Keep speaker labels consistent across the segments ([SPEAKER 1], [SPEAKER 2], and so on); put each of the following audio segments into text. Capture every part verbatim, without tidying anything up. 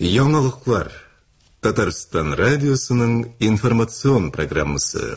[SPEAKER 1] Яңалыклар. Татарстан радиосының информацион программасы.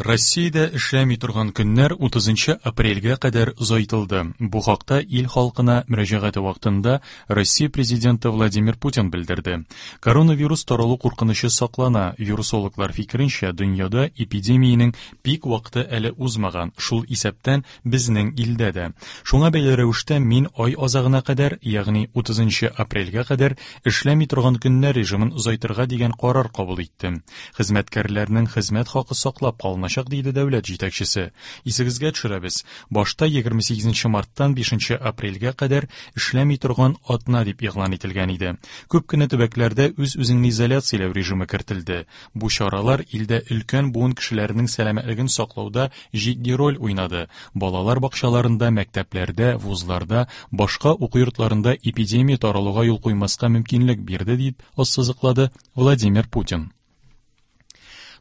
[SPEAKER 2] Россиядә эшләми торган көннәр утызынчы апрельгә кадәр озайтылды. Бу хакта ил халкына мөрәҗәгате вакытында Россия президенты Владимир Путин белдерде. Коронавирус таралу куркынычы саклана. Вирусологлар фикеренчә, дөньяда эпидемиянең пик вакыты әле узмаган, шул исәптән безнең илдә дә. Шуңа бәйле рәвештә мин ай азагына кадәр, ягъни утызынчы апрельгә кадәр эшләми торган көннәр режимын озайтырга дигән карар кабул иттем. Хезмәткәрләрнең хезмәт хакы саклап калына, диде дәүләт җитәкчесе. Исегезгә төшерәбез, башта егерме сигезенче марттан бишенче апрельгә кадәр эшләми торган атна дип игълан ителгән иде. Күп кенә төбәкләрдә үз-үзеңне изоляцияләү режимы кертелде. Бу чаралар илдә өлкән буын кешеләренең сәламәтлеген саклауда җитди роль уйнады. Балалар бакчаларында, мәктәпләрдә, вузларда, башка уку йортларында эпидемия таралуга юл куймаска мөмкинлек бирде, дип ассызыклады Владимир Путин.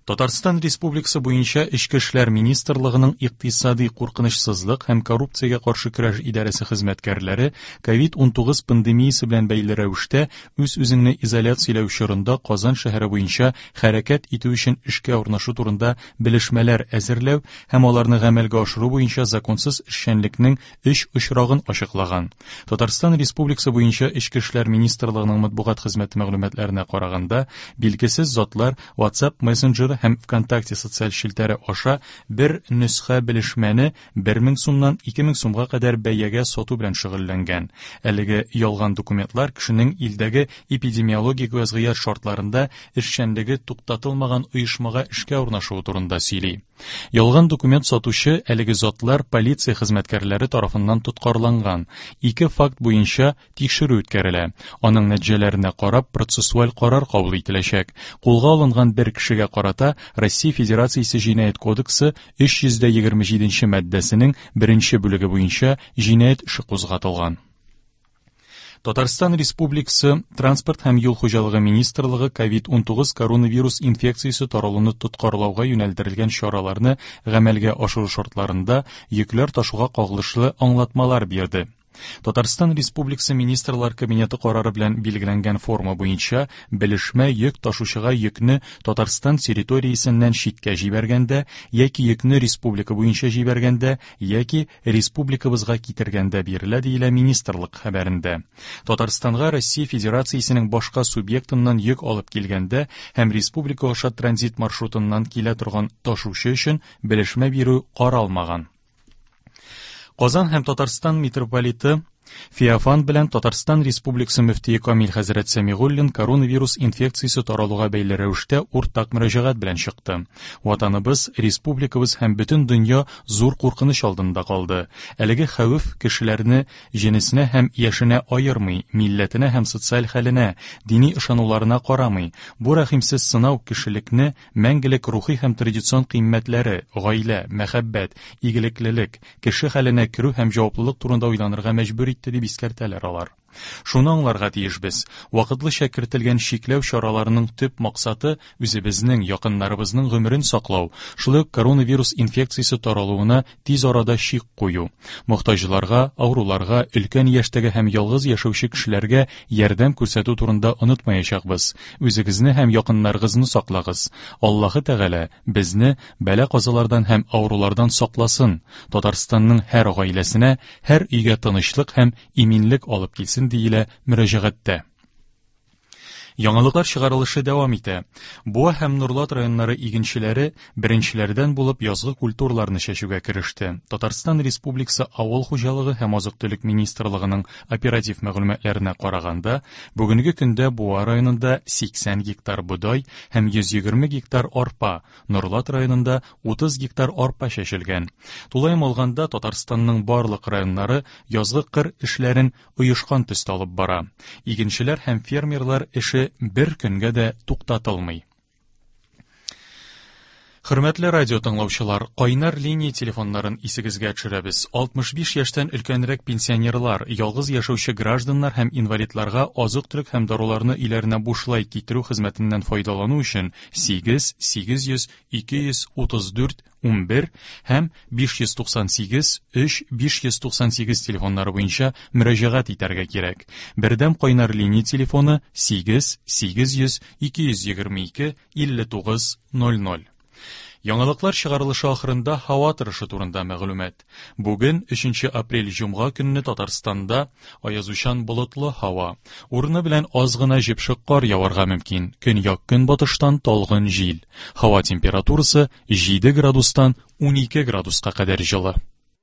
[SPEAKER 2] Татарстан Республикасы буенча Эчке эшләр министрлыгының икътисади куркынычсызлык һәм коррупциягә каршы көрәш идарәсе хезмәткәрләре ковид унтугыз пандемиясе белән бәйле рәвештә үз-үзеңне изоляцияләү чорында Казан шәһәре буенча хәрәкәт итү өчен эшкә урнашу турында белешмәләр әзерләү һәм аларны гамәлгә ашыру буенча законсыз эшчәнлекнең өч очрагын ачыклаган. Татарстан Республикасы буенча Эчке эшләр министрлыгының матбугат хезмәте мәгълүматларына караганда, билгесез затлар WhatsApp мессенджеры һәм ВКонтакте социаль челтәре аша бер нөсхә белешмәне бер мең сумнан ике мең сумга кадәр бәягә сату белән шөгыльләнгән. Әлеге ялган документлар кешенең илдәге эпидемиологик вазгыять шартларында эшчәнлеге туктатылмаган оешмага эшкә урнашуы турында сөйли. Ялган документ сатучы әлеге затлар полиция хезмәткәрләре тарафыннан тоткарланган. Ике факт буенча тикшерү үткәрелә. Аның нәтиҗәләренә карап процессуаль карар кабул ителәчәк. Кулга алынган бер кешегә карата Россия Федерациясе Җинаять кодексы өч йөз дә егерме җиденче маддәсенең беренче бүлеге буенча җинаять эше кузгатылган. Татарстан Республикасы Транспорт һәм юл хуҗалыгы министрлыгы ковид унтугыз коронавирус инфекциясе таралуны тоткарлауга юнәлдерелгән чараларны гамәлгә ашыру шартларында йөкләр ташуга кагылышлы аңлатмалар бирде. Татарстан Республикасы Министрлар Кабинеты карары белән билгеләнгән форма буенча белешмә йөк ташучыга йөкне Татарстан территориясеннән читкә җибәргәндә яки йөкне республика буенча җибәргәндә яки республикабызга китергәндә бирелә, диелә министрлык хәбәрендә. Татарстанга Россия Федерациясенең башка субъектыннан йөк алып килгәндә һәм республика аша транзит маршрутыннан килә торган ташучы өчен белешмә бирү каралмаган. Казан һәм Татарстан митрополиты Феофан белән Татарстан Республикасы мөфтие Камил хәзрәт Сәмигуллин коронавирус инфекциясе таралуга бәйле рәвештә уртак мөрәҗәгать белән чыкты. Ватаныбыз, республикабыз һәм бөтен дөнья зур куркыныч алдында калды. Әлеге хәвеф кешеләрне җенесенә һәм яшенә аермый, милләтенә һәм социаль хәленә, дини ышануларына карамый. Бу рәхимсез сынау кешелекне мәңгелек рухи һәм традицион кыйммәтләре, гаилә, мәхәббәт, игелеклелек, кеше хәленә керү һәм җаваплылык турында уйланырга мәҗбүр итте, дип искәртәләр алар. Шуны аңларга тиешбез. Вакытлыча кертелгән чикләү чараларының төп максаты үзебезнең, якыннарыбызның гомерен саклау, шулай ук коронавирус инфекциясе таралуына тиз арада чик кую. Мохтаҗларга, авыруларга, өлкән яшьтәге һәм ялгыз яшәүче кешеләргә ярдәм күрсәтү турында онытмаячакбыз. Үзегезне һәм якыннарыгызны саклагыз. Аллаһы Тәгалә безне бәла-казалардан һәм авырулардан сакласын. Татарстанның һәр гаиләсенә, һәр өйгә тынычлык һәм иминлек алып килсен, диелә мөрәҗәгатьтә. Яңалыклар чыгарылышы дәвам итә. Буа һәм Нурлат районнары игенчеләре беренчеләрдән булып язгы культураларны чәчүгә кереште. Татарстан Республикасы Авыл хуҗалыгы һәм азык-төлек министрлыгының оператив мәгълүматларына караганда, бүгенге көндә Буа районында сиксән гектар бодай һәм йөз егерме гектар арпа, Нурлат районында утыз гектар арпа чәчелгән. Тулаем алганда Татарстанның барлык районнары язгы кыр эшләрен оешкан төстә алып бара. Игенчеләр һәм фермерлар эше бер көнгә дә туктатылмый. Хөрмәтле радио тыңлаучылар, кайнар линия телефоннарын исегезгә төшерәбез. алтмыш биш яшьтән өлкәнрәк пенсионерлар, ялгыз яшәүче гражданнар һәм инвалидларга азык-төлек һәм даруларны өйләренә бушлай китерү хезмәтеннән файдалану өчен сигез сигез йөз ике йөз утыз дүрт унбер һәм биш йөз туксан сигез өч биш йөз туксан сигез телефоннары буенча мөрәҗәгать итәргә кирәк. Бердәм кайнар линия телефоны сигез сигез йөз ике йөз егерме ике илле тугыз ноль ноль. Яңалыклар чыгарылышы ахырында һава торышы турында мәгълүмат. Бүген өченче апрель җомга көнне Татарстанда аязучан болытлы һава. Урыны белән аз гына җепшек кар яварга мөмкин. Көньяк-көнбатыштан талгын җил. Һава температурасы җиде градустан унике градуска кадәр җылы.